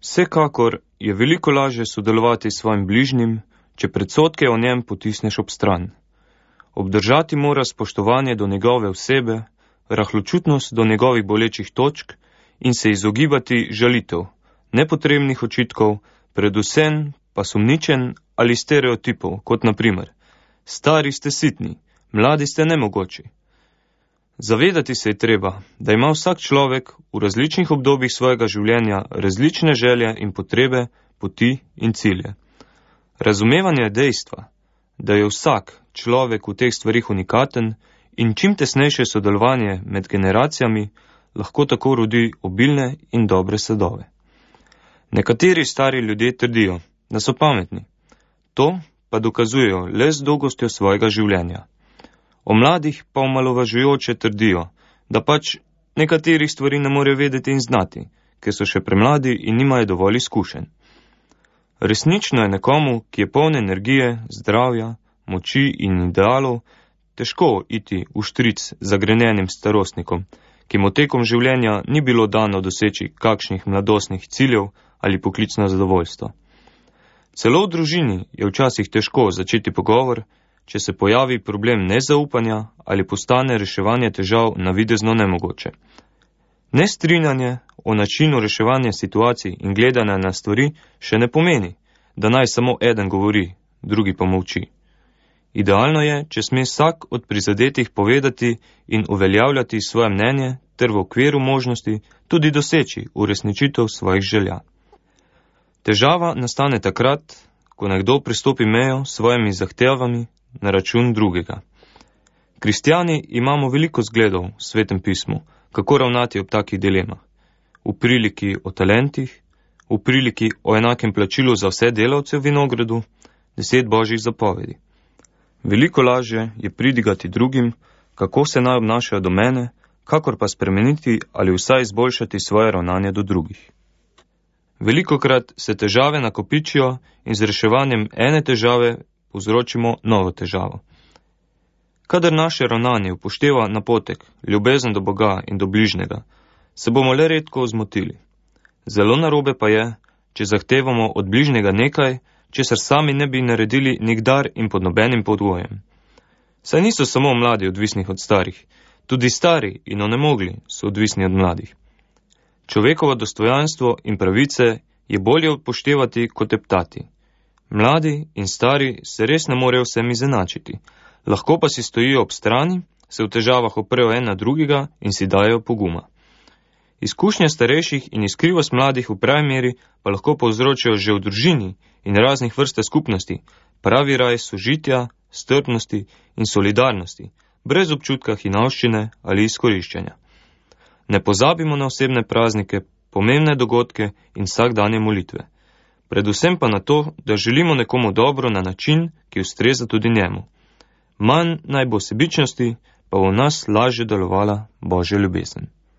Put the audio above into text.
Vsekakor je veliko lažje sodelovati s svojim bližnjim, če predsodke o njem potisneš ob stran. Obdržati mora spoštovanje do njegove osebe, rahločutnost do njegovih bolečih točk in se izogibati žalitev, nepotrebnih očitkov, predvsem pa sumničenj ali stereotipov, kot na primer: stari ste sitni, mladi ste nemogoči. Zavedati se je treba, da ima vsak človek v različnih obdobjih svojega življenja različne želje in potrebe, poti in cilje. Razumevanje je dejstva, da je vsak človek v teh stvarih unikaten in čim tesnejše sodelovanje med generacijami lahko tako rodi obilne in dobre sadove. Nekateri stari ljudje trdijo, da so pametni. To pa dokazujejo le z dolgostjo svojega življenja. O mladih pa omalovažujoče trdijo, da pač nekaterih stvari ne morejo vedeti in znati, ker so še premladi in nimajo dovolj izkušenj. Resnično je nekomu, ki je poln energije, zdravja, moči in idealov, težko iti v štric zagrenjenim starostnikom, ki mu tekom življenja ni bilo dano doseči kakšnih mladostnih ciljev ali poklicno zadovoljstvo. Celo v družini je včasih težko začeti pogovor, če se pojavi problem nezaupanja ali postane reševanje težav navidezno nemogoče. Nestrinjanje o načinu reševanja situacij in gledanja na stvari še ne pomeni, da naj samo eden govori, drugi pa molči. Idealno je, če sme vsak od prizadetih povedati in uveljavljati svoje mnenje ter v okviru možnosti tudi doseči uresničitev svojih želja. Težava nastane takrat, ko nekdo prestopi mejo s svojimi zahtevami na račun drugega. Kristjani imamo veliko zgledov v Svetem pismu, kako ravnati ob takih dilemah. V priliki o talentih, v priliki o enakem plačilu za vse delavce v vinogradu, 10 božjih zapovedi. Veliko lažje je pridigati drugim, kako se naj obnašajo do mene, kakor pa spremeniti ali vsaj izboljšati svoje ravnanje do drugih. Velikokrat se težave nakopičijo in z reševanjem ene težave povzročimo novo težavo. Kadar naše ravnanje upošteva napotek, ljubezen do Boga in do bližnjega, se bomo le redko zmotili. Zelo narobe pa je, če zahtevamo od bližnjega nekaj, česar sami ne bi naredili nikdar in pod nobenim pogojem. Saj niso samo mladi odvisni od starih, tudi stari in onemogli so odvisni od mladih. Človekovo dostojanstvo in pravice je bolje upoštevati kot teptati. Mladi in stari se res ne morejo vsem izenačiti, lahko pa si stojijo ob strani, se v težavah oprejo en na drugega in si dajo poguma. Izkušnje starejših in iskrivost mladih v pravi meri pa lahko povzročijo že v družini in raznih vrste skupnosti pravi raj sožitja, strpnosti in solidarnosti, brez občutka hinavščine ali izkoriščanja. Ne pozabimo na osebne praznike, pomembne dogodke in vsakdanje molitve. Predvsem pa na to, da želimo nekomu dobro na način, ki ustreza tudi njemu. Manj naj bo sebičnosti, pa v nas lažje delovala Božja ljubezen.